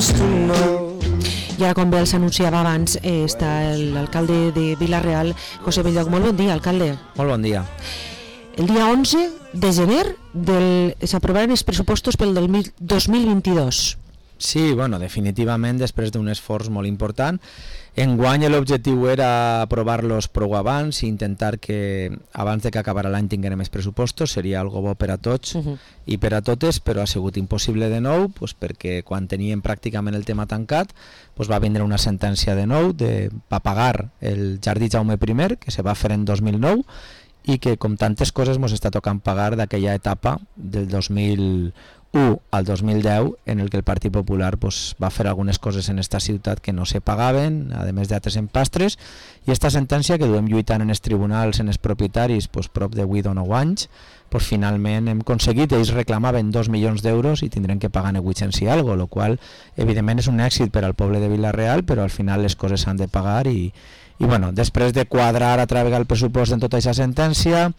I ara, com bé els anunciava abans, està l'alcalde de Vila-real, José Belloc. Molt bon dia, alcalde. Molt bon dia. El dia 11 de gener s'aprovaran els pressupostos pel 2022. Sí, bueno, definitivament, després d'un esforç molt important. Enguany l'objectiu era aprovar-los prou abans i intentar que abans de que acabara l'any tinguem més pressupostos. Seria algo bo per a tots i per a totes, però ha sigut impossible de nou, perquè quan teníem pràcticament el tema tancat va vindre una sentència de nou per pagar el Jardí Jaume I, que se va fer en 2009, i que, com tantes coses, ens està tocant pagar d'aquella etapa del 2001 al 2010 en el que el Partit Popular va fer algunes coses en esta ciutat que no se pagaven, a més d'altres empastres, i esta sentència que duem lluitant en els tribunals, en els propietaris, prop de 8 o 9 anys, finalment hem aconseguit. Ells reclamaven 2 milions d'euros i tindrem que pagar 800 i algo, el qual evidentment és un èxit per al poble de Vila-real, però al final les coses s'han de pagar i bueno, després de quadrar a través del pressupost en tota aquesta sentència,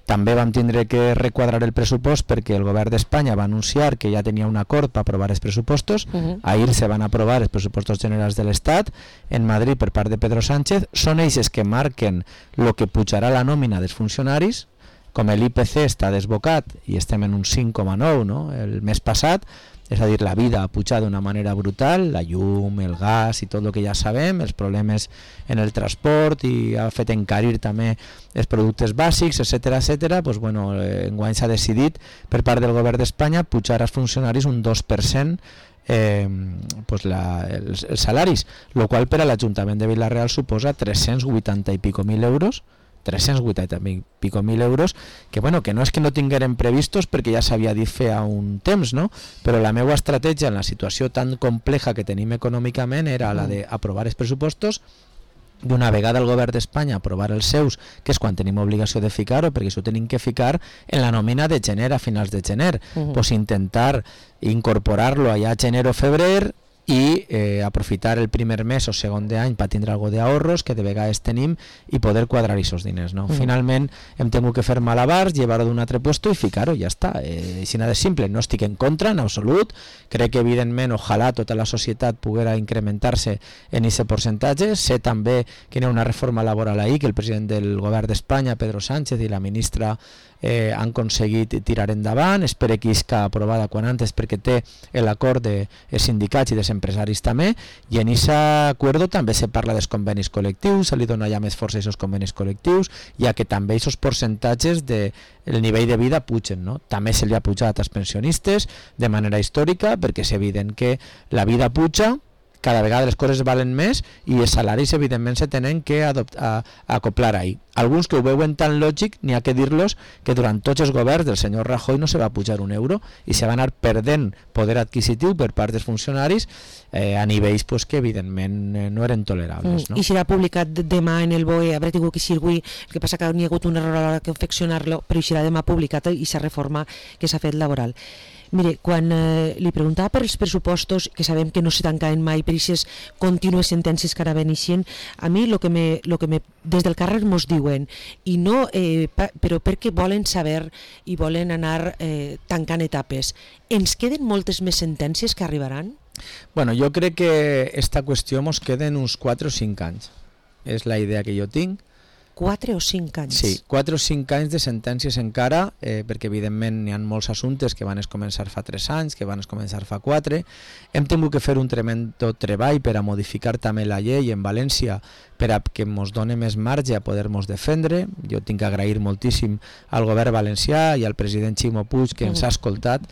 també vam tindre que requadrar el pressupost perquè el govern d'Espanya va anunciar que ja tenia un acord per aprovar els pressupostos. Ahir se van aprovar els pressupostos generals de l'Estat en Madrid per part de Pedro Sánchez. Són ells que marquen el que pujarà la nòmina dels funcionaris. Com l'IPC està desbocat i estem en un 5,9, no? El mes passat, és a dir, la vida ha pujat d'una manera brutal, la llum, el gas i tot el que ja sabem, els problemes en el transport, i ha fet encarir també els productes bàsics, etc. Bueno, enguany s'ha decidit per part del govern d'Espanya pujar als funcionaris un 2% els salaris, el qual per a l'Ajuntament de Vila-real suposa 380 i pico mil euros, 380 i pico mil euros, que bueno, que no és que no tinguérem previstos perquè ja s'havia dit fa un temps, no? Però la meva estratègia en la situació tan compleja que tenim econòmicament era la d'aprovar els pressupostos, d'una vegada el govern d'Espanya aprovar els seus, que és quan tenim obligació de ficar-ho, perquè això ho tenim que ficar en la nòmina de gener, a finals de gener, intentar incorporar-lo allà a gener o febrer, i aprofitar el primer mes o segon d'any per tindre algo d'ahorros que de vegades tenim i poder quadrar aquests diners, no? Finalment hem tingut que fer malabars, llevar-ho d'un altre puesto i ficar-ho, ja està. Així de simple. No estic en contra en absolut, crec que evidentment ojalà tota la societat poguera incrementar-se en aquest percentatge. Sé també que hi ha una reforma laboral ahí que el president del govern d'Espanya, Pedro Sánchez, i la ministra han aconseguit tirar endavant. Espero que isca aprovada quan antes perquè té l'acord dels sindicats i dels empresaris també, i en aquest acord també se parla dels convenis col·lectius, se li dona ja més força a aquests convenis col·lectius, ja que també aquests percentatges del nivell de vida pugen, no? També se li ha pujat als pensionistes de manera històrica, perquè és evident que la vida puja, cada vegada les coses valen més i els salaris evidentment se tenen que acoplar ahí. Alguns que ho veuen tan lògic, n'hi ha que dir-los que durant tots els governs del senyor Rajoy no se va pujar un euro i se va anar perdent poder adquisitiu per part dels funcionaris a nivells que evidentment no eren tolerables, no? I serà publicat demà en el BOE, haurà tingut que ser avui, el que passa que n'hi ha hagut un error a l'hora de confeccionar-lo, però serà demà publicat i s'ha reforma que s'ha fet laboral. Mire, quan li preguntava per els pressupostos, que sabem que no se tancaven mai per aquestes contínues sentències que ara veneixen, a mi el que des del carrer mos diuen, i no, però perquè volen saber i volen anar tancant etapes, ens queden moltes més sentències que arribaran? Bueno, jo crec que esta qüestió mos queden uns 4 o 5 anys. És la idea que jo tinc. 4 o 5 anys? Sí, 4 o 5 anys de sentències encara, perquè evidentment hi ha molts assumptes que van començar fa 3 anys, que van començar fa 4. Hem tingut que fer un tremendo treball per a modificar també la llei en València per a que ens doni més marge a poder-nos defendre. Jo tinc que agrair moltíssim al govern valencià i al president Ximo Puig que ens ha escoltat.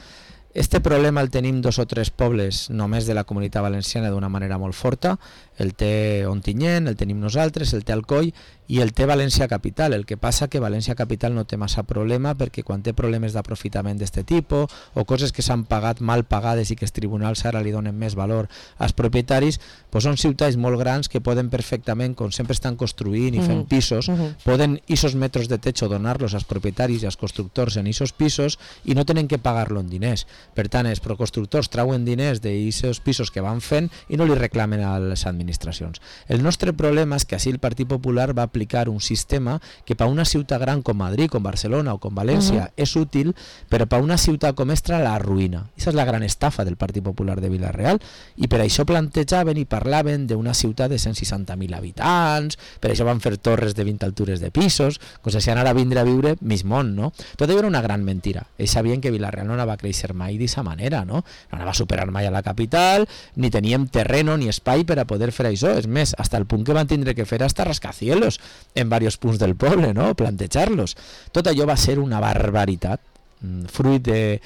Este problema el tenim 2 o 3 pobles només de la Comunitat Valenciana d'una manera molt forta. El té Ontinyent, el tenim nosaltres, el té Alcoi i el té València Capital. El que passa que València Capital no té massa problema perquè quan té problemes d'aprofitament d'aquest tipus o coses que s'han pagat mal pagades i que els tribunals ara li donen més valor als propietaris, són ciutats molt grans que poden perfectament, com sempre estan construint i fent pisos, poden aquests metres de techo donar-los als propietaris i als constructors en aquests pisos i no tenen que pagar-lo en diners. Per tant, els constructors trauen diners d'aquests pisos que van fent i no li reclamen a les administracions. El nostre problema és que així el Partit Popular va aplicar un sistema que per una ciutat gran com Madrid, com Barcelona o com València és útil, però per una ciutat com Estra la arruïna. Aquesta és la gran estafa del Partit Popular de Vila-real, i per això plantejaven i parlaven d'una ciutat de 160.000 habitants, per això van fer torres de 20 altures de pisos, com si anara a vindre a viure mig món, no? Tot allò era una gran mentira. Ells sabien que Vila-real no anava a créixer mai d'aquesta manera, no? No anava a superar mai a la capital, ni teníem terreno ni espai per a poder fer això. És més, hasta el punt que van tindre que fer hasta rascacielos en diversos punts del poble, no? Plantejar-los. Tot allò va ser una barbaritat, fruit de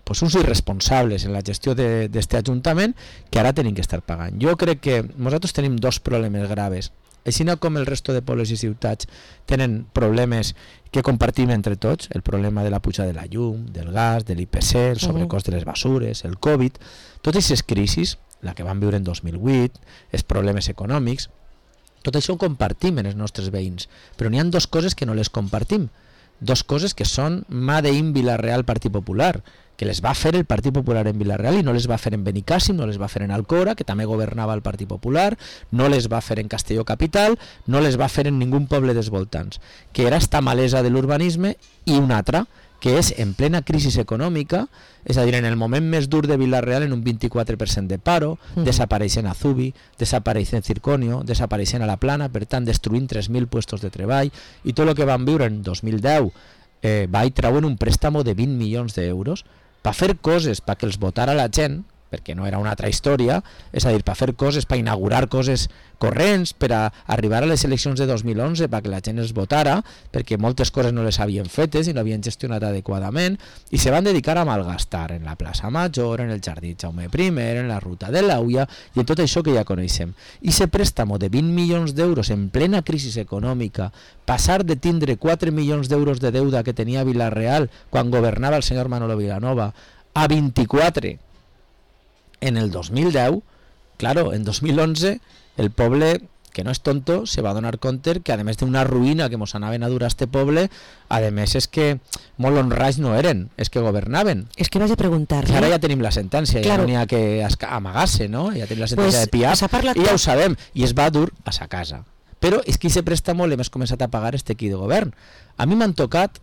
pues, uns irresponsables en la gestió d'aquest ajuntament que ara tenim que estar pagant. Jo crec que nosaltres tenim dos problemes graves. Així com el resto de pobles i ciutats tenen problemes que compartim entre tots, el problema de la puja de la llum, del gas, de l'IPC, el sobrecost de les basures, el Covid, totes aquestes crisis, la que vam viure en 2008, els problemes econòmics, tot això ho compartim en els nostres veïns, però n'hi ha dues coses que no les compartim, dues coses que són Made in Vila-real Partit Popular, que les va fer el Partit Popular en Vila-real i no les va fer en Benicàssim, no les va fer en Alcora, que també governava el Partit Popular, no les va fer en Castelló Capital, no les va fer en ningú poble dels voltants, que era esta malesa de l'urbanisme, i una altra, que és en plena crisi econòmica, és a dir, en el moment més dur de Vila-real, en un 24% de paro, desapareixent Azubi, desapareixent Circonio, desapareixent a la Plana, per tant, destruint 3.000 puestos de treball, i tot el que van viure en 2010 va i treuen un préstamo de 20 milions d'euros per fer coses perquè els votara la gent, perquè no era una altra història, és a dir, per fer coses, per inaugurar coses corrents, per a arribar a les eleccions de 2011, perquè la gent els votara, perquè moltes coses no les havien fetes i no havien gestionat adequadament, i se van dedicar a malgastar en la plaça Major, en el jardí Jaume I, en la ruta de l'Auia, i en tot això que ja coneixem. I ese préstamo de 20 milions d'euros en plena crisi econòmica, passar de tindre 4 milions d'euros de deuda que tenia Vila-real quan governava el senyor Manolo Vilanova, a 24 en el 2010, claro, en 2011 el poble, que no és tonto, se va donar compte que a més d'una ruïna que mos anaven a dur a este poble, a més és que molt honrats no eren, és que governaven. És que vaig a preguntar-li. Ara ja tenim la sentència, claro. Ja no n'hi ha que amagar-se, no? Ja tenim la sentència pues, de Piaf, i ja ho sabem, i es va dur a sa casa. Però és que aquest préstamo l'hem començat a pagar este aquí de govern. A mi m'han tocat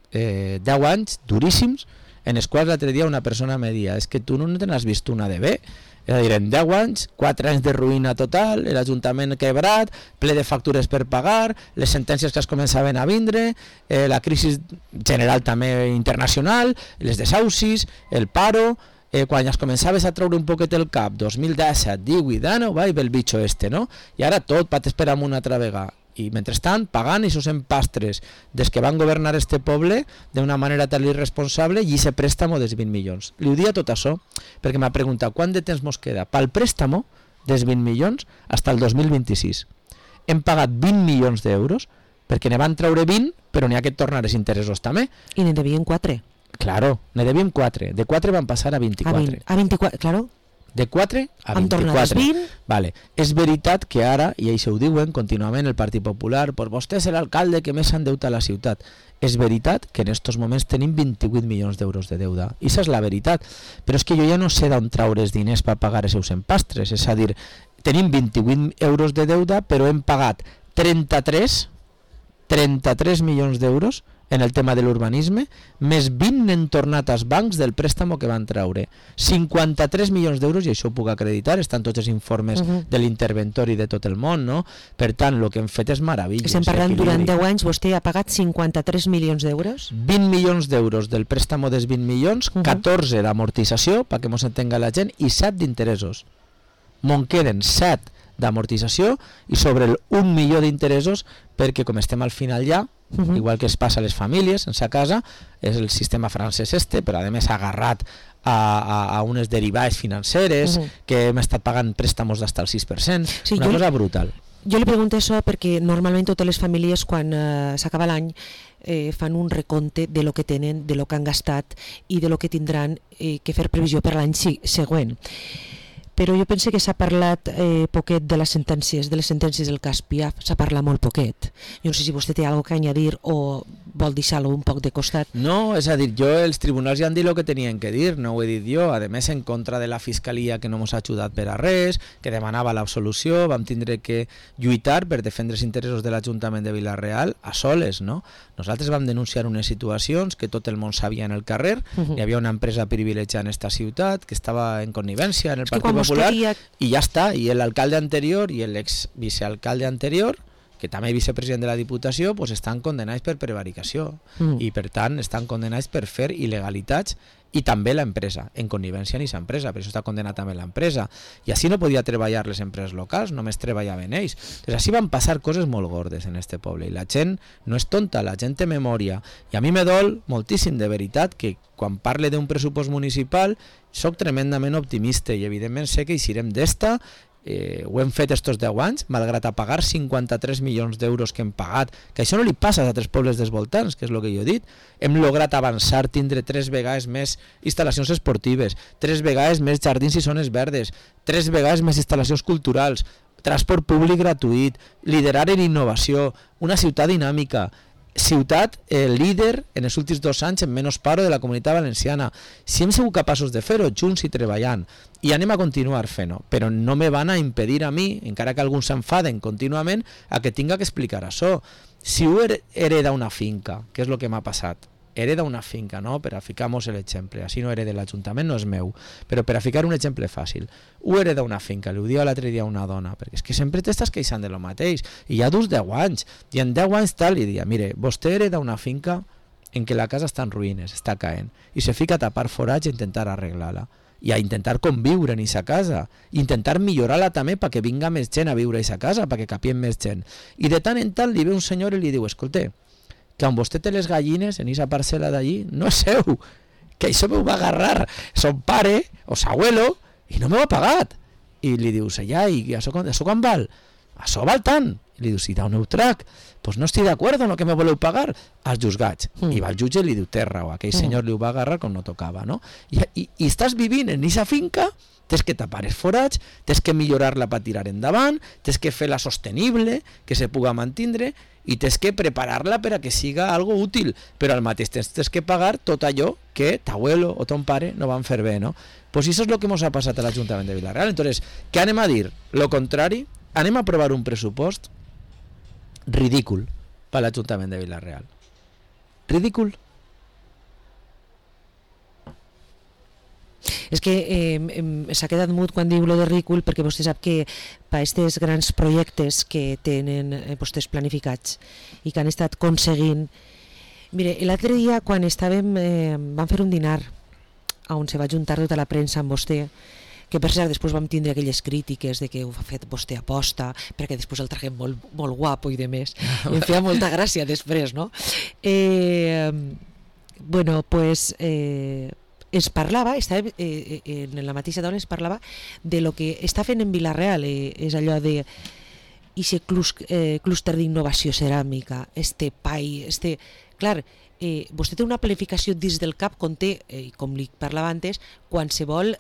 10 anys duríssims, en els quals l'altre dia una persona me deia és que tu no te n'has vist una de bé, és a dir, en 10 anys, 4 anys de ruïna total, l'Ajuntament quebrat, ple de factures per pagar, les sentències que es començaven a vindre, la crisi general també internacional, les desaucis, el paro, quan es començaves a treure un poquet el cap, 2017, 18, va, i ve el bitxo este, no? I ara tot pates per amunt una altra vegada. I mentrestant pagant i sos pastres des que van governar este poble d'una manera tan irresponsable i ese préstamo dels 20 milions. Li ho dia tot això perquè m'ha preguntat quant de temps mos queda pel préstamo dels 20 milions fins al 2026. Hem pagat 20 milions d'euros perquè ne van treure 20 però n'hi ha que tornar els interessos també. I ne devien 4. Claro, ne devien 4. De 4 van passar a 24. A 24, claro. De 4 a 24. Vale. És veritat que ara, i això ho diuen contínuament el Partit Popular, pues vostè és l'alcalde que més s'endeuta a la ciutat. És veritat que en aquests moments tenim 28 milions d'euros de deuda. I això és la veritat. Però és que jo ja no sé d'on traure els diners per pagar els seus empastres. És a dir, tenim 28 euros de deuda, però hem pagat 33 milions d'euros en el tema de l'urbanisme, més 20 n'han tornat als bancs del préstamo que van treure. 53 milions d'euros, i això ho puc acreditar, estan tots els informes de l'interventori de tot el món, no? Per tant, el que hem fet és meravellós. Estem parlant durant 10 anys, vostè ha pagat 53 milions d'euros? 20 milions d'euros del préstamo dels 20 milions, 14 d'amortització, perquè mos entenga la gent, i 7 d'interessos. Me'n queden 7 d'amortització i sobre el 1 milió d'interessos perquè com estem al final ja, igual que es passa a les famílies en sa casa, és el sistema francès este, però a més agarrat a unes derivades financeres que hem estat pagant préstamos d'hasta el 6%, sí, una cosa brutal. Jo li pregunto això perquè normalment totes les famílies quan s'acaba l'any fan un recompte de lo que tenen, de lo que han gastat i de lo que tindran que fer previsió per l'any següent. però jo penso que s'ha parlat poquet de les sentències del cas Piaf, s'ha parlat molt poquet. Jo no sé si vostè té alguna cosa a añadir o vol deixar-lo un poc de costat. No, és a dir, els tribunals ja han dit el que tenien que dir, no ho he dit jo, a més en contra de la Fiscalia que no ens ha ajudat per a res, que demanava l'absolució, vam tindre que lluitar per defendre els interessos de l'Ajuntament de Vila-real a soles, no? Nosaltres vam denunciar unes situacions que tot el món sabia en el carrer, hi havia una empresa privilegiada en esta ciutat que estava en connivència en el Partit Popular i ja està, i l'alcalde anterior i l'ex vicealcalde anterior, que també vicepresident de la Diputació, pues estan condenats per prevaricació i per tant estan condenats per fer il·legalitats, i també l'empresa, en connivència amb aquesta empresa, per això està condenat també l'empresa, i així no podia treballar les empreses locals, només treballaven ells. Doncs així van passar coses molt gordes en este poble, i la gent no és tonta, la gent té memòria, i a mi me dol moltíssim de veritat que quan parle d'un pressupost municipal soc tremendament optimista, i evidentment sé que eixirem d'esta. Ho hem fet estos 10 anys, malgrat a pagar 53 milions d'euros que hem pagat, que això no li passa a altres pobles dels voltants, que és el que jo he dit. Hem lograt avançar, tindre 3 vegades més instal·lacions esportives, 3 vegades més jardins i zones verdes, 3 vegades més instal·lacions culturals, transport públic gratuït, liderar en innovació, una ciutat dinàmica, ciutat líder en els últims 2 anys en menys paro de la Comunitat Valenciana. Si hem sigut capaços de fer-ho junts i treballant, i anem a continuar fent-ho, però no me van a impedir a mi, encara que alguns s'enfaden contínuament, a que tinga que explicar això. Si ho hereda una finca, que és el que m'ha passat, hereda una finca, no? Per a ficar-nos l'exemple, així no hereda l'Ajuntament, no és meu, però per a ficar un exemple fàcil, ho hereda una finca, li ho diu l'altre dia una dona, perquè és que sempre t'estàs queixant de lo mateix, i ja dus 10 anys, i en 10 anys tal, li dia, mire, vostè hereda una finca en què la casa està en ruïnes, està caent, i se fica a tapar forats i intentar arreglar-la, i a intentar conviure en aquesta casa, intentar millorar-la també perquè vinga més gent a viure a aquesta casa, perquè capien més gent, i de tant en tant li ve un senyor i li diu, escolta, que on vostè té les gallines en aquesta parcel·la d'allí no és seu, que això m'ho va agarrar son pare o s'abuelo i no m'ho ha pagat. I li dius, ja, i això quan val? Això val tant. I li dius, si d'un trac, doncs no estic d'acord amb el que me voleu pagar als juzgats. I va al jutge i li diu, té raó, aquell senyor li ho va agarrar com no tocava, no? I estàs vivint en aquesta finca, tens que tapar els forats, tens que millorar-la per tirar endavant, tens que fer-la sostenible, que se puga mantindre, i tens que preparar-la per a que siga algo útil, però al mateix temps tens que pagar tot allò que t'abuelo o ton pare no van fer bé, no? Pues això és el que ens ha passat a l'Ajuntament de Vila-real. Entonces, què anem a dir? Lo contrari, anem a aprovar un pressupost ridícul per a l'Ajuntament de Vila-real. Ridícul. És que s'ha quedat mut quan diu lo de ridícul, perquè vostè sap que per aquests grans projectes que tenen vostès planificats i que han estat aconseguint. Mire, l'altre dia quan vam fer un dinar on se va juntar tota la premsa amb vostè, que per cert després vam tindre aquelles crítiques de que ho ha fet vostè aposta perquè després el traguem molt guapo i de més, i em feia molta gràcia després, no? Bueno, pues es parlava, en la mateixa dona es parlava de lo que està fent en Vila-real, és allò de aquest clúster d'innovació ceràmica, clar, vostè té una planificació dins del cap on té, com li parlava antes, qualsevol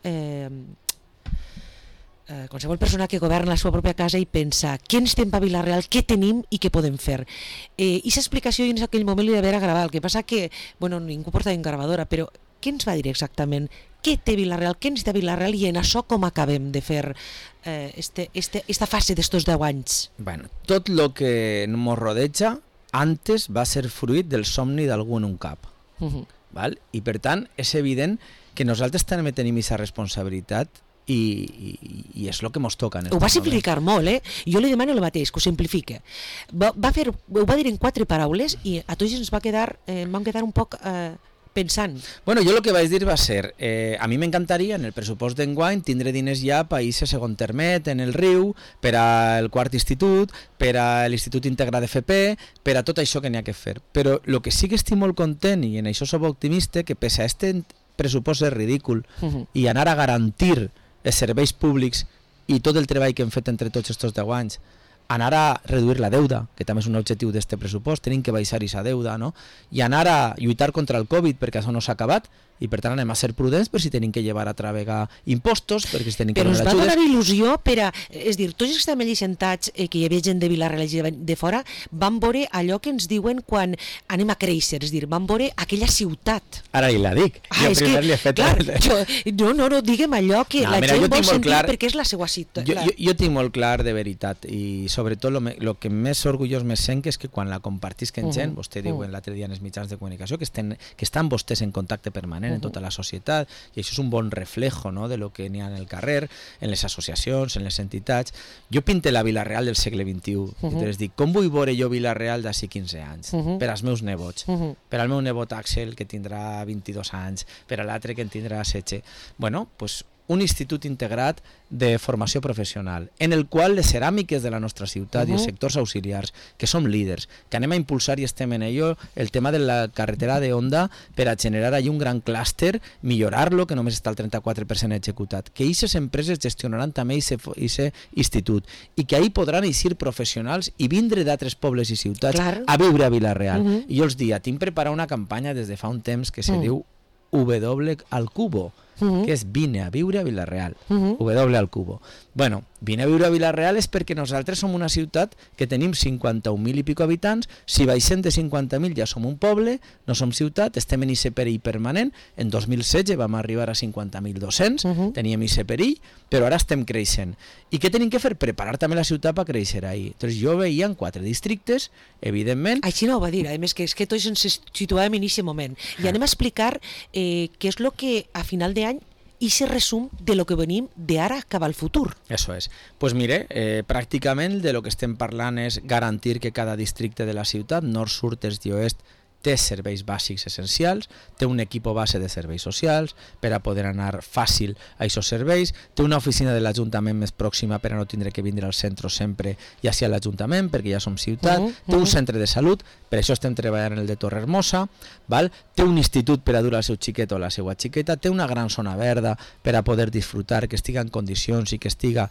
persona que governa la seva pròpia casa i pensa què ens fem per Vila-real, què tenim i què podem fer. I aquesta explicació en aquell moment li va haver agradat, el que passa que ningú porta en gravadora, però què ens va dir exactament? Què té Vila-real? Què ens té Vila-real? I en això com acabem de fer esta fase d'estos 10 anys? Bueno, tot el que ens rodeja antes va ser fruit del somni d'algú en un cap. Val? I per tant és evident que nosaltres també tenim aquesta responsabilitat i és el que ens toca. Ho va simplificar molt, Jo li demano el mateix, que ho simplifique. Ho va dir en 4 paraules i a tots ens vam quedar un poc pensant. Bueno, jo el que vaig dir va ser, a mi m'encantaria en el pressupost d'enguany tindre diners ja per a segon termet en el riu, per al quart institut, per a l'Institut Integrat d'FP, per a tot això que n'hi ha que fer. Però el que sí que estic molt content, i en això soc optimista, que pese a este pressupost és ridícul i anar a garantir els serveis públics i tot el treball que hem fet entre tots aquests 10 anys, anar a reduir la deuda, que també és un objectiu d'aquest pressupost, tenim que baixar aquesta deuda, no? I anar a lluitar contra el Covid, perquè això no s'ha acabat, i per tant anem a ser prudents per si tenim que llevar a travegar impostos, perquè si tenim que però ens donar va ajudes. donar il·lusió per a... És dir, tots els que estem allí sentats, que hi havia gent de Vila-real i de fora, van veure allò que ens diuen quan anem a créixer, és dir, van veure aquella ciutat. Ara li la dic. Jo primer li he fet... No, diguem allò que la gent vol sentir perquè és la seva ciutat. Jo tinc molt clar, de veritat, i sobretot el que més orgullós me sent és que quan la compartisquen gent, vostè diu l'altre dia en els mitjans de comunicació, que estan vostès en contacte permanent en tota la societat, i això és un bon reflejo, no?, de lo que n'hi ha en el carrer, en les associacions, en les entitats. Jo pinte la Vila-real del segle XXI, i te les dic, com vull veure jo Vila-real d'ací 15 anys? Per als meus nebots, per al meu nebot Axel, que tindrà 22 anys, per a l'altre que en tindrà 16. Bueno, pues un institut integrat de formació professional, en el qual les ceràmiques de la nostra ciutat i els sectors auxiliars, que som líders, que anem a impulsar i estem en ello, el tema de la carretera de Honda per a generar allí un gran clúster, millorar-lo, que només està el 34% executat, que aquestes empreses gestionaran també aquest institut i que ahí podran eixir professionals i vindre d'altres pobles i ciutats a viure a Vila-real. I jo els dic, tinc preparat una campanya des de fa un temps que se diu W al cubo, que és vine a viure a Vila-real, W al cubo. Bueno, vine a viure a Vila-real és perquè nosaltres som una ciutat que tenim 51.000 i pico habitants, si baixem de 50.000 ja som un poble, no som ciutat, estem en aquest perill permanent, en 2016 vam arribar a 50.200, teníem aquest perill, però ara estem creixent. I què tenim que fer? Preparar també la ciutat per créixer ahí. Entonces jo veia en 4 districtes, evidentment... Així no ho va dir, a més que és que tots ens situàvem en aquest moment. I anem a explicar què és el que a final d'any i se resum de lo que venim d'ara cap al futur. Eso es. Pues mire, pràcticament de lo que estem parlant és garantir que cada districte de la ciutat, nord, sud, est i oest, té serveis bàsics essencials, té un equip base de serveis socials per a poder anar fàcil a aquests serveis, té una oficina de l'Ajuntament més pròxima per a no tindre que vindre al centre sempre i així a l'Ajuntament, perquè ja som ciutat, té un centre de salut, per això estem treballant en el de Torrehermosa, té un institut per a dur al seu xiquet o la seva xiqueta, té una gran zona verda per a poder disfrutar, que estiga en condicions i que siga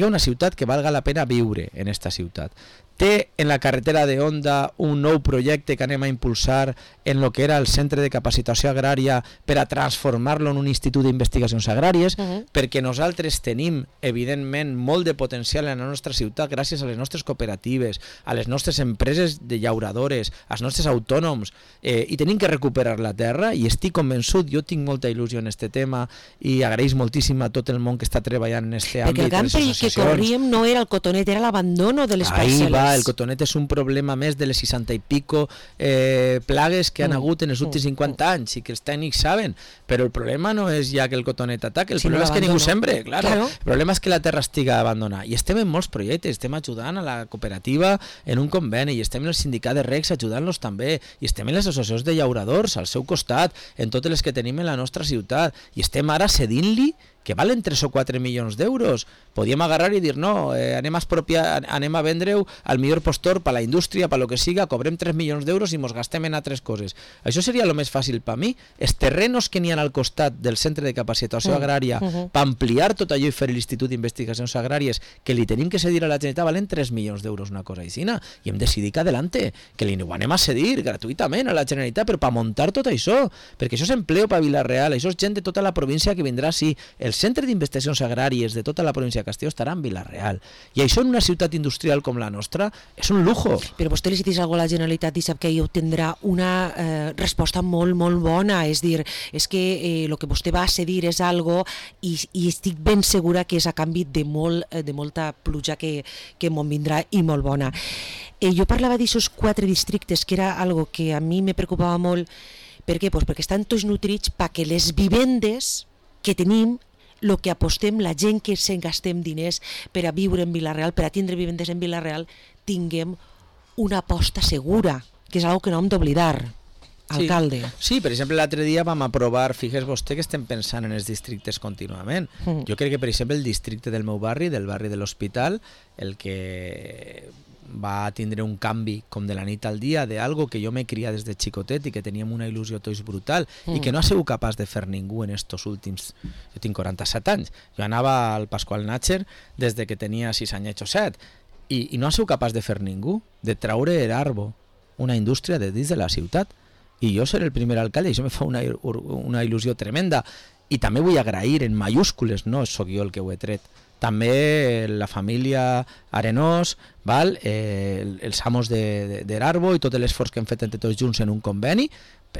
una ciutat que valga la pena viure en esta ciutat. Té en la carretera de Honda un nou projecte que anem a impulsar en lo que era el Centre de Capacitació Agrària per a transformar-lo en un institut d'investigacions agràries, perquè nosaltres tenim, evidentment, molt de potencial en la nostra ciutat gràcies a les nostres cooperatives, a les nostres empreses de llauradores, als nostres autònoms, i tenim que recuperar la terra, i estic convençut, jo tinc molta il·lusió en este tema, i agraeix moltíssim a tot el món que està treballant en este àmbit. Perquè el gran perill que corríem no era el cotonet, era l'abandono de les parcel·les. El cotonet és un problema més de les 60 i pico plagues que han hagut en els últims 50 anys i que els tècnics saben, però el problema no és ja que el cotonet ataque, el problema és que ningú sembre, claro. El problema és que la terra estiga abandonada, i estem en molts projectes, estem ajudant a la cooperativa en un conveni, i estem en el sindicat de recs ajudant-los també, i estem en les associacions de llauradors al seu costat, en totes les que tenim en la nostra ciutat, i estem ara cedint-li que valen 3 o 4 milions d'euros. Podíem agarrar i dir, no, anem a vendre-ho al millor postor per a la indústria, per a lo que siga, cobrem 3 milions d'euros i mos gastem en altres coses. Això seria el més fàcil per mi. Els terrenos que n'hi ha al costat del Centre de Capacitació Agrària per ampliar tot allò i fer l'Institut d'Investigacions Agràries, que li tenim que cedir a la Generalitat, valen 3 milions d'euros, una cosa així, i hem decidit que adelante, que li ho anem a cedir gratuïtament a la Generalitat, però per muntar tot això, perquè això és empleo per Vila-real, això és gent de tota la província que vindrà, sí, el Centre d'Investigacions Agràries de tota la província de Castelló estarà en Vila-real. I això en una ciutat industrial com la nostra és un lujo. Però vostè li dius alguna cosa a la Generalitat i sap que ell tindrà una resposta molt, molt bona. És dir, és que el que vostè va a cedir és algo i estic ben segura que és a canvi de molta pluja que me'n vindrà i molt bona. Jo parlava d'aixòs 4 districtes, que era algo que a mi me preocupava molt. Per què? Pues perquè estan tots nutrits perquè les vivendes que tenim, el que apostem, la gent que se'n gastem diners per a viure en Vila-real, per a tindre vivendes en Vila-real, tinguem una aposta segura, que és una cosa que no hem d'oblidar, alcalde. Sí, per exemple, l'altre dia vam aprovar, fixes vostè que estem pensant en els districtes contínuament. Jo crec que, per exemple, el districte del meu barri, del barri de l'Hospital, el que va tindre un canvi com de la nit al dia d'algo que jo m'he criat des de xicotet i que teníem una il·lusió tots brutal i que no ha sigut capaç de fer ningú en estos últims... Jo tinc 47 anys, jo anava al Pasqual Natcher des de que tenia 6 anys o 7 i no ha sigut capaç de fer ningú, de traure l'Arbo, una indústria de dins de la ciutat. i jo ser el primer alcalde, i això me fa una il·lusió tremenda. I també vull agrair en mayúscules, no sóc jo el que ho he tret, també la família Arenós, val? Els amos d'Erarbo i tot l'esforç que hem fet entre tots junts en un conveni,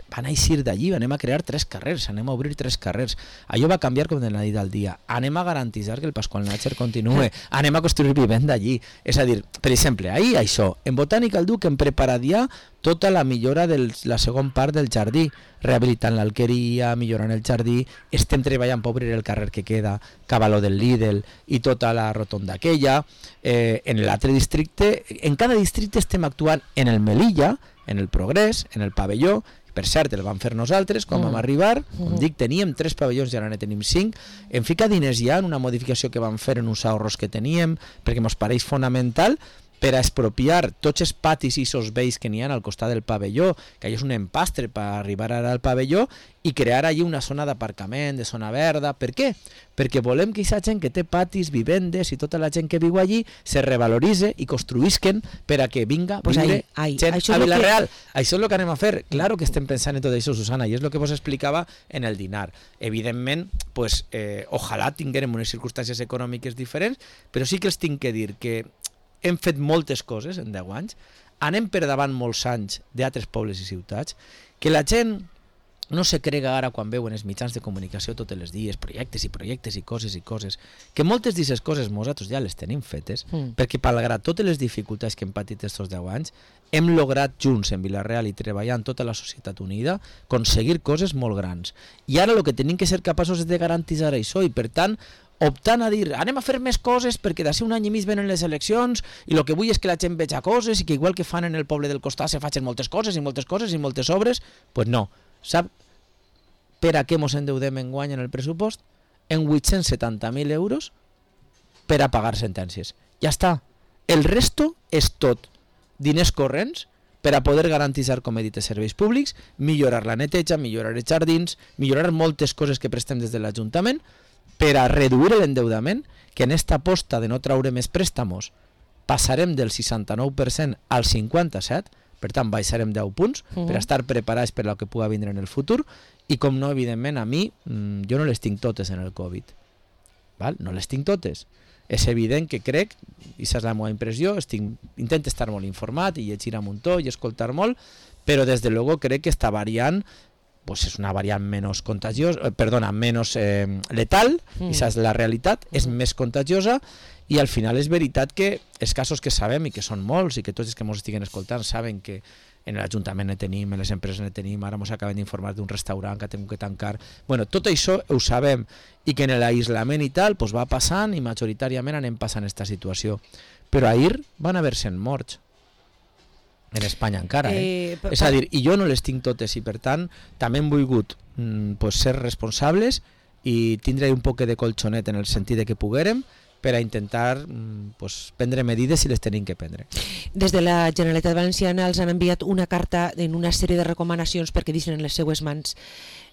van eixir d'allí, anem a crear 3 carrers, anem a obrir 3 carrers. Allò va canviar com de la nit al dia. Anem a garantir que el Pasqual Nàcher continue, anem a construir vivenda allí. És a dir, per exemple, ahir això, en Botànica el Duc hem preparat ja tota la millora de la segona part del jardí, rehabilitant l'alqueria, millorant el jardí, estem treballant per obrir el carrer que queda, Cavaló del Lidl i tota la rotonda aquella. En l'altre districte, en cada districte estem actuant en el Melilla, en el Progrés, en el Pavelló. Per cert, el vam fer nosaltres quan vam arribar, com dic, teníem 3 pavellons i ara ne tenim 5, hem ficat diners ja en una modificació que vam fer en uns ahorros que teníem, perquè ens pareix fonamental per a expropiar tots els patis i els vells que n'hi ha al costat del pavelló, que allà és un empastre per arribar ara al pavelló, i crear allí una zona d'aparcament, de zona verda. Per què? Perquè volem que aquesta gent que té patis, vivendes i tota la gent que viu allí se revaloritze i construïsquen per a que vinga a viure gent a Vila-real. Això és el que anem a fer. Claro que estem pensant en tot això, Susana, i és el que vos explicava en el dinar. Evidentment, pues, ojalà tinguérem unes circumstàncies econòmiques diferents, però sí que els tinc que dir que hem fet moltes coses en 10 anys, anem per davant molts anys d'altres pobles i ciutats, que la gent no se crega ara quan veuen els mitjans de comunicació tots els dies, projectes i coses, que moltes d'aquestes coses nosaltres ja les tenim fetes, perquè malgrat totes les dificultats que hem patit estos 10 anys, hem lograt junts en Vila-real i treballant tota la societat unida aconseguir coses molt grans. I ara el que tenim que ser capaços és de garantir això, i per tant optant a dir, anem a fer més coses perquè d'ací un any i mig venen les eleccions i el que vull és que la gent veja coses i que igual que fan en el poble del costat se facin moltes coses i moltes obres, pues no. Sap per a què mos endeudem enguany en el pressupost? En 870.000 euros per a pagar sentències. Ja està. El resto és tot diners corrents per a poder garantir, com he dit, els serveis públics, millorar la neteja, millorar els jardins, millorar moltes coses que prestem des de l'Ajuntament, per a reduir l'endeudament, que en esta aposta de no traure més préstamos passarem del 69% al 57%, per tant baixarem 10 punts per estar preparats per al que pugui vindre en el futur, i com no, evidentment, a mi, jo no les tinc totes en el Covid, val? No les tinc totes. És evident que crec, i aquesta és la meva impressió, intento estar molt informat i llegir a muntó i escoltar molt, però des de luego crec que esta variant pues és una variant menys contagiosa, menys letal, i aquesta és la realitat, és més contagiosa, i al final és veritat que els casos que sabem, i que són molts, i que tots els que ens estiguen escoltant saben que en l'Ajuntament ne tenim, en les empreses ne tenim, ara ens acabem d'informar d'un restaurant que hem que tancar, bueno, tot això ho sabem, i que en l'aïslament i tal pues va passant, i majoritàriament anem passant aquesta situació, però ahir van haver 100 morts en Espanya encara, és a dir, i jo no les tinc totes, i per tant també hem volgut ser responsables i tindre un poc de colxonet en el sentit de que poguérem per a intentar prendre medides si les tenim que prendre. Des de la Generalitat Valenciana els han enviat una carta en una sèrie de recomanacions perquè deixen en les seues mans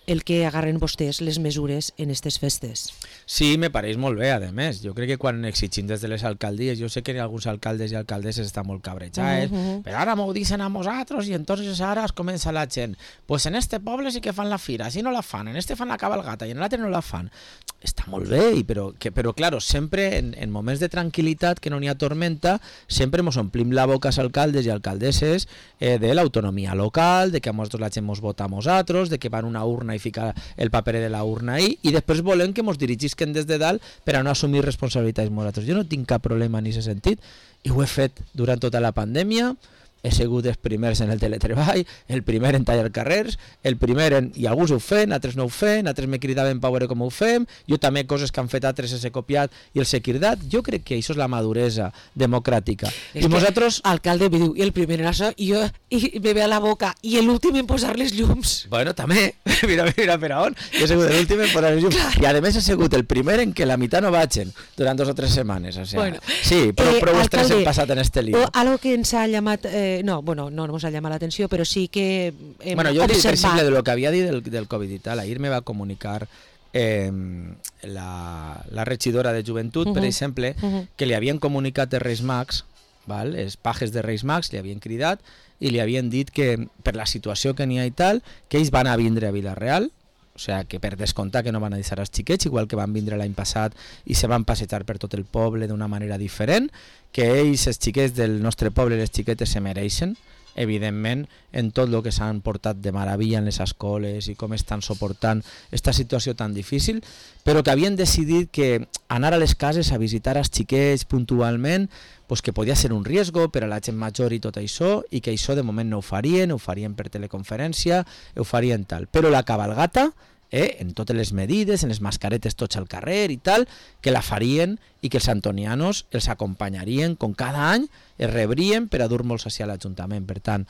el que agarren vostès les mesures en aquestes festes. Sí, me pareix molt bé, a més. Jo crec que quan exigim des de les alcaldies, jo sé que alguns alcaldes i alcaldesses estan molt cabrejats, però ara m'ho dicen a nosaltres i entonces ara es comença la gent. Pues en este poble sí que fan la fira, si no la fan, en este fan la cabalgata i en l'altre no la fan. Està molt bé, però claro, sempre en moments de tranquil·litat, que no n'hi ha tormenta, sempre ens omplim la boca als alcaldes i alcaldesses de l'autonomia local, de que a nosaltres la gent ens vota a nosaltres, de que van a una urna i ficar el paper de la urna ahí, i després volem que ens dirigisquen des de dalt per a no assumir responsabilitats nosaltres. Jo no tinc cap problema en aquest sentit, i ho he fet durant tota la pandèmia. He sigut els primers en el teletreball, el primer en tallar carrers, el primer en... i alguns ho feien, altres no ho feien, altres me cridaven per veure com ho fem, jo també coses que han fet altres he copiat i els he cridat. Jo crec que això és la maduresa democràtica. És i nosaltres... Alcalde me diu, i el primer en això, i jo me ve a la boca, i l'últim en posar les llums. Bueno, també, mira per on, jo he sigut l'últim en posar les llums, i a més he sigut el primer en que la meitat no vagin durant 2 o 3 setmanes, o sea, bueno, sí, prou estrès hem passat en este lío. Algo que ens ha llamat... no ens ha llamat l'atenció, però sí que hem jo dic, per observat... exemple, de lo que havia dit del Covid i tal, ahir me va comunicar la regidora de Joventut, per exemple, que li havien comunicat els Reis Mags val? Els pajes de Reis Mags li havien cridat i li havien dit que per la situació que n'hi ha i tal, que ells van a vindre a Vila-real, o sigui que per descomptar que no van a deixar els xiquets, igual que van vindre l'any passat i se van passejar per tot el poble d'una manera diferent, que ells, els xiquets del nostre poble, les xiquetes se mereixen, evidentment, en tot el que s'han portat de meravella en les escoles i com estan suportant aquesta situació tan difícil, però que havien decidit que anar a les cases a visitar els xiquets puntualment pues que podia ser un riesgo per a la gent major i tot això, i que això de moment no ho farien per teleconferència, ho farien tal. Però la cabalgata, en totes les medides, en les mascaretes tots al carrer i tal, que la farien i que els antonianos els acompanyarien com cada any, es rebrien per a dur-los a l'Ajuntament. Per tant,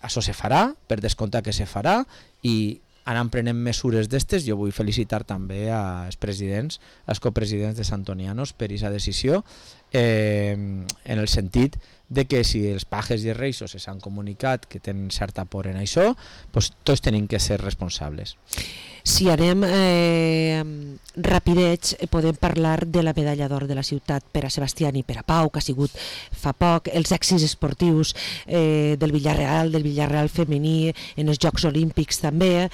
això se farà, per descomptar que se farà, i anant prenent mesures d'estes. Jo vull felicitar també als presidents, als copresidents de Santonianos per aquesta decisió, en el sentit de que si els pajes i els reixos s'han comunicat que tenen certa por en això, doncs tots tenim que ser responsables. Si anem rapidets, podem parlar de la medalla d'or de la ciutat per a Sebastián i per a Pau, que ha sigut fa poc, els èxits esportius del Villarreal femení en els Jocs Olímpics també,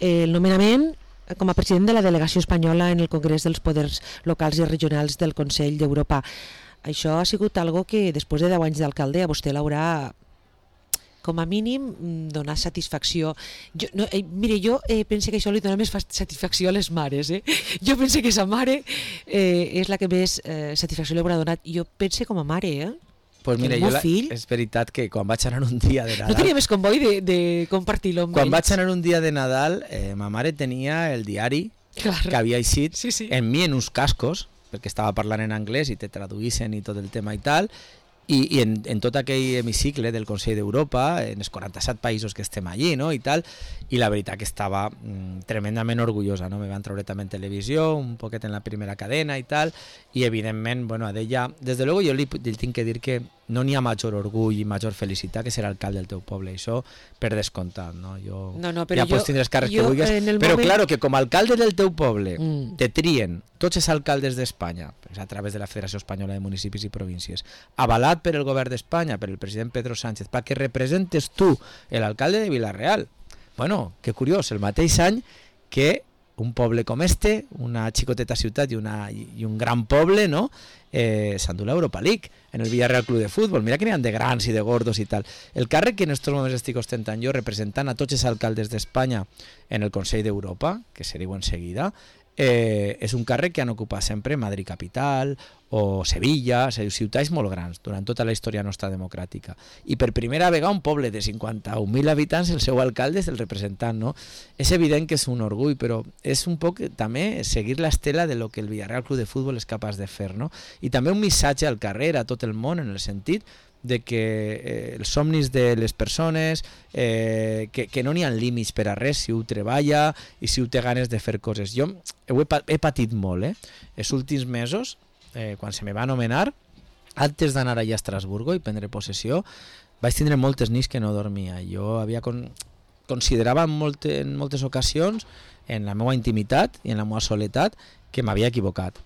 el nomenament com a president de la delegació espanyola en el Congrés dels Poders Locals i Regionals del Consell d'Europa. Això ha sigut algo que després de 10 anys d'alcalde a vostè l'haurà com a mínim donar satisfacció. Jo penso que això li dona més satisfacció a les mares. Jo penso que sa mare és la que més satisfacció li haurà donat. Jo penso com a mare, Pues mira, és veritat que quan vaig anar un dia de Nadal... No tenia més comboi de compartir-lo amb ells. Quan vaig anar un dia de Nadal, ma mare tenia el diari que havia eixit en mi en uns cascos, perquè estava parlant en anglès i te traduïssin i tot el tema i tal, i en tot aquell hemicicle del Consell d'Europa, en els 47 països que estem allí, no? I tal, i la veritat que estava tremendament orgullosa, no? Me van treure també en televisió, un poquet en la primera cadena i tal, i evidentment, bueno, a d'ella, des de luego jo li tinc que dir que no n'hi ha major orgull i major felicitat que ser alcalde del teu poble, això per descomptat, no? Però ja pots tindre els càrrecs que vulguis, però claro, que com a alcalde del teu poble te trien tots els alcaldes d'Espanya, a través de la Federació Espanyola de Municipis i Províncies, avalat per el govern d'Espanya, per el president Pedro Sánchez, perquè representes tu l'alcalde de Vila-real. Bueno, que curiós, el mateix any que un poble com una xicoteta ciutat i un gran poble, no? S'endú l'Europa League en el Villarreal Club de Futbol. Mira que n'hi ha de grans i de gordos i tal. El càrrec que en aquests moments estic ostentant jo, representant a tots els alcaldes d'Espanya en el Consell d'Europa, que se diu en seguida, és un càrrec que han ocupat sempre Madrid Capital o Sevilla, ciutats molt grans durant tota la història nostra democràtica, i per primera vegada un poble de 51.000 habitants el seu alcalde és el representant, no? És evident que és un orgull, però és un poc també seguir l'estela de lo que el Villarreal Club de Futbol és capaç de fer, no? I també un missatge al carrer, a tot el món, en el sentit de que els somnis de les persones, que no n'hi ha límits per a res si ho treballa i si ho té ganes de fer coses. Jo he patit molt, els últims mesos, quan se me va anomenar, antes d'anar allà a Estrasburgo i prendre possessió, vaig tindre moltes nits que no dormia. Jo considerava en moltes ocasions, en la meva intimitat i en la meva soledat, que m'havia equivocat.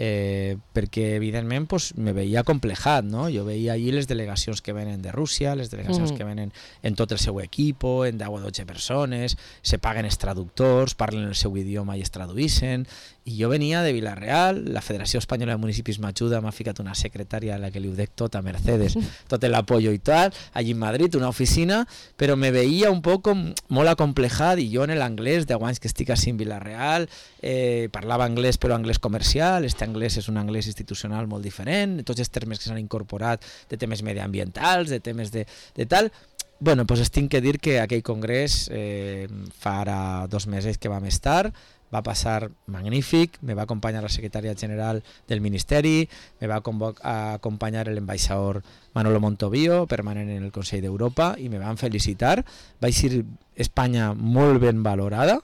Perquè evidentment me veia complejat, no? Jo veia allí les delegacions que venen de Rússia, les delegacions que venen en tot el seu equip, en 10 o 12 persones, se paguen els traductors, parlen el seu idioma i es traduïssin, i jo venia de Vila-real, la Federació Espanyola de Municipis m'ajuda, m'ha ficat una secretària a la que li ho dec tot, a Mercedes, tot l'apoyo i tal, allí en Madrid, una oficina, però me veia un poc molt acomplejat, i jo en l'anglès, 10 anys que estic així en Vila-real, parlava anglès però anglès comercial, anglès és un anglès institucional molt diferent, tots els termes que s'han incorporat de temes mediambientals, de temes de tal. Bueno, doncs tinc que dir que aquell congrés fa ara 2 mesos que vam estar, va passar magnífic, me va acompanyar la secretària general del Ministeri, me va acompanyar l'ambaixador Manolo Montovío, permanent en el Consell d'Europa, i me van felicitar. Vaig ser Espanya molt ben valorada,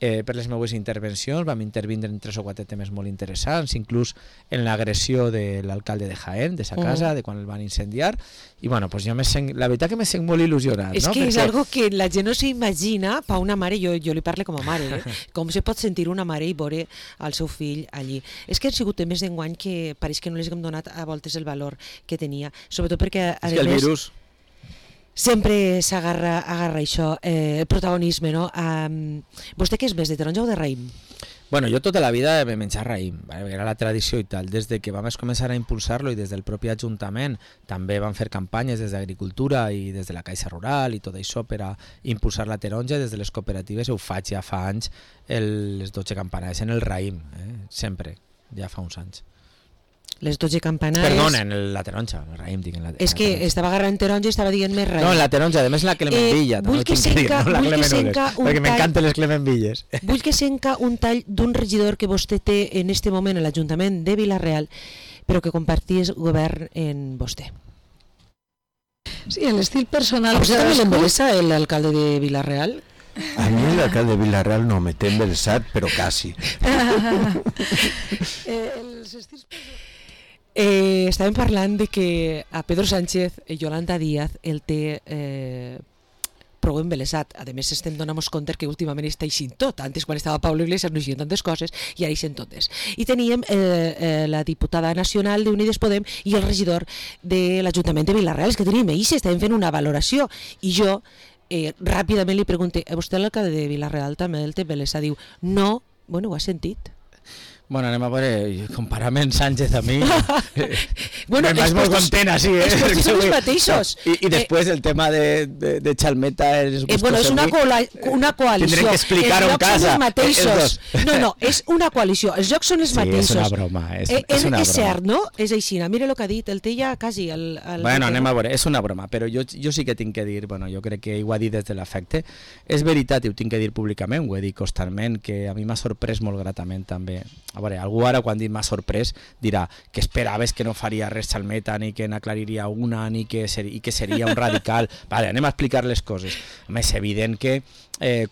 per les meves intervencions, vam intervindre en 3 o 4 temes molt interessants, inclús en l'agressió de l'alcalde de Jaén, de sa casa, de quan el van incendiar, i bueno, pues jo la veritat que me sent molt il·lusionat. És que és algo que la gent no s'imagina, pa una mare, jo li parlo com a mare, com se pot sentir una mare i veure el seu fill allí. És que han sigut temes d'enguany que pareix que no les hem donat a voltes el valor que tenia, sobretot perquè, a més... És que el virus... Sempre s'agarra això, el protagonisme, no? Vostè què és més, de taronja o de raïm? Bueno, jo tota la vida he menjat raïm, era la tradició i tal. Des de que vam començar a impulsar-lo i des del propi Ajuntament també vam fer campanyes des d'Agricultura i des de la Caixa Rural i tot això per a impulsar la taronja. Des de les cooperatives ho faig ja fa anys, les 12 campanades en el raïm, sempre, ja fa uns anys. Les 12 campanades... Perdona, en la taronja, el raïm dic en la taronja. És que estava agarrant taronja i estava dient més raïm. No, en la taronja, a més la clemenvilla. Vull que senca perquè m'encanten les clemenvilles. Vull que senca un tall d'un regidor que vostè té en este moment a l'Ajuntament de Vila-real, però que compartís govern en vostè. Sí, en l'estil personal... ¿A usted también le embelesa el alcalde de Vila-real? A mí el alcalde de Vila-real no me té embelesat, però quasi. Els estils personals... Estàvem parlant de que a Pedro Sánchez i Yolanda Díaz el té prou embelesat. A més, estem donant-nos compte que últimament està eixint tot. Antes, quan estava Pablo Iglesias, no eixien tantes coses i ara eixen totes. I teníem la diputada nacional d'Unides Podem i el regidor de l'Ajuntament de Vila-real. És que teníem ells, estàvem fent una valoració. I jo ràpidament li pregunté, a vostè l'alcalde de Vila-real també el té embelesat? Diu, no, bueno, ho ha sentit. Bueno, anem a veure, comparament Sánchez a mi, bueno, me vaig molt contenta, sí. Els postos són els mateixos. I després el tema de Chalmeta... Bueno, és una coalició. Tindrem que explicar-ho en casa. No, és una coalició. Els jocs són els mateixos. Sí, és una broma. És és cert, no? És així. Mira el que ha dit, el té ja quasi... Bueno, anem a veure, és una broma, però jo sí que tinc que dir, bueno, jo crec que ho ha dit des de l'afecte, és veritat i ho tinc que dir públicament, ho he dit constantment, que a mi m'ha sorprès molt gratament també. A veure, algú ara quan dit m'ha sorprès dirà que esperaves que no faria res Chalmeta ni que n'aclariria una ni que seria un radical. Vale, anem a explicar les coses. A més, és evident que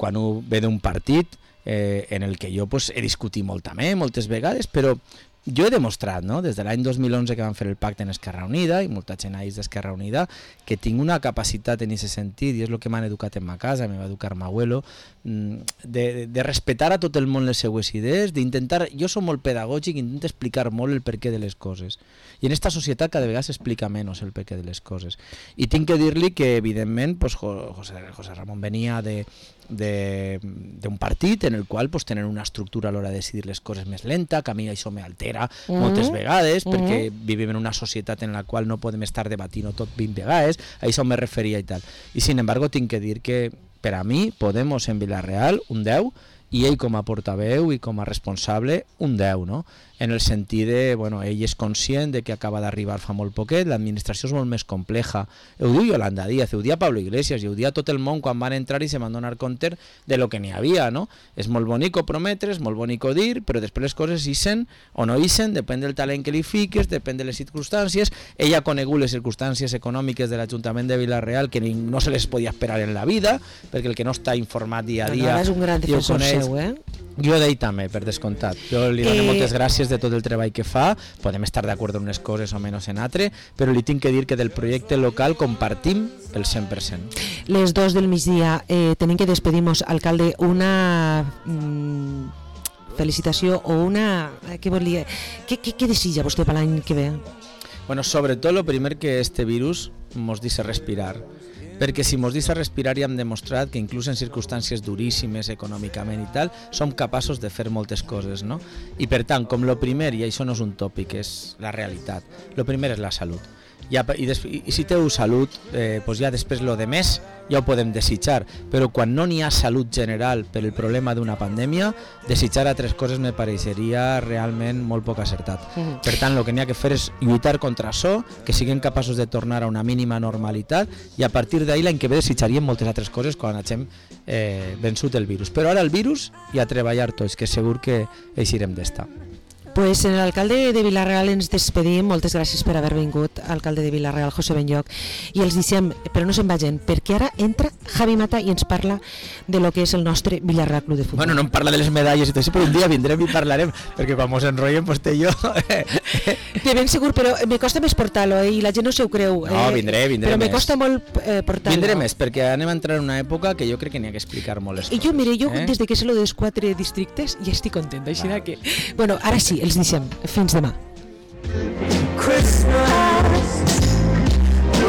quan ho ve d'un partit en el que jo he discutit moltes vegades, però jo he demostrat, no? Des de l'any 2011 que vam fer el pacte en Esquerra Unida, i molta gent ha dit d'Esquerra Unida, que tinc una capacitat en aquest sentit, i és el que m'han educat en ma casa, me va educar ma abuelo, de respetar a tot el món les seues idees, d'intentar... Jo soc molt pedagògic, intento explicar molt el perquè de les coses. I en esta societat cada vegada s'explica menys el perquè de les coses. I tinc que dir-li que, evidentment, José Ramon venia d'un partit en el qual tenen una estructura a l'hora de decidir les coses més lenta, que a mi això m'altera moltes vegades, perquè vivim en una societat en la qual no podem estar debatint tot 20 vegades, a això me referia i tal. I sin embargo tinc que dir que per a mi Podemos en Vila-real un 10 i ell com a portaveu i com a responsable un 10, no? En el sentit de, bueno, ell és conscient de que acaba d'arribar fa molt poquet, l'administració és molt més compleja. Ho diu Yolanda Díaz, ho dia Pablo Iglesias, i ho dia tot el món quan van entrar i se van donar compte de lo que n'hi havia, no? És molt bonico prometre, és molt bonico dir, però després les coses ixen o no ixen, depèn del talent que li fiques, depèn de les circumstàncies. Ell ha conegut les circumstàncies econòmiques de l'Ajuntament de Vila-real que no se les podia esperar en la vida, perquè el que no està informat dia a dia... Ara és un gran defensor seu, Jo d'ell també, per descomptat. Jo li dono moltes gràcies de tot el treball que fa, podem estar d'acord en unes coses o menys en altres, però li tinc que dir que del projecte local compartim el 100%. Les 2 del migdia tenim que despedir-nos, alcalde, una felicitació o una... Què desitja vostè per l'any que ve? Bueno, sobretot, el primer que este virus mos deixa respirar, perquè si mos deixa respirar ja hem demostrat que inclús en circumstàncies duríssimes econòmicament i tal, som capaços de fer moltes coses, no? I per tant, com lo primer, i això no és un tòpic, és la realitat, lo primer és la salut. I si teu salut, ja després lo de més ja ho podem desitjar, però quan no n'hi ha salut general per el problema d'una pandèmia, desitjar altres coses me pareixeria realment molt poc acertat. Per tant, el que n'hi ha que fer és lluitar contra això, que siguem capaços de tornar a una mínima normalitat, i a partir d'ahir l'any que ve desitjaríem moltes altres coses quan hagin vençut el virus. Però ara el virus i a treballar tots, que segur que eixirem d'estar. Pues en l'alcalde de Vila-real ens despedim, moltes gràcies per haver vingut, alcalde de Vila-real, José Benlloch, i els deixem, però no se'n vagin, perquè ara entra Javi Mata i ens parla de lo que és el nostre Vila-real Club de Futbol. Bueno, no em parla de les medalles i tot això, però un dia vindrem i parlarem, perquè quan mos enrotllen, pues té jo... De ben segur, però me costa més portar-lo, i la gent no se ho creu. No, vindré però me més. costa molt portar-lo. Vindré més, perquè anem a entrar en una època que jo crec que n'hi ha que explicar molt les coses. I jo, mire, des de que sé lo dels 4 districtes ja estic contenta, així que... Bueno, ara sí, els deixem. Fins demà. Christmas.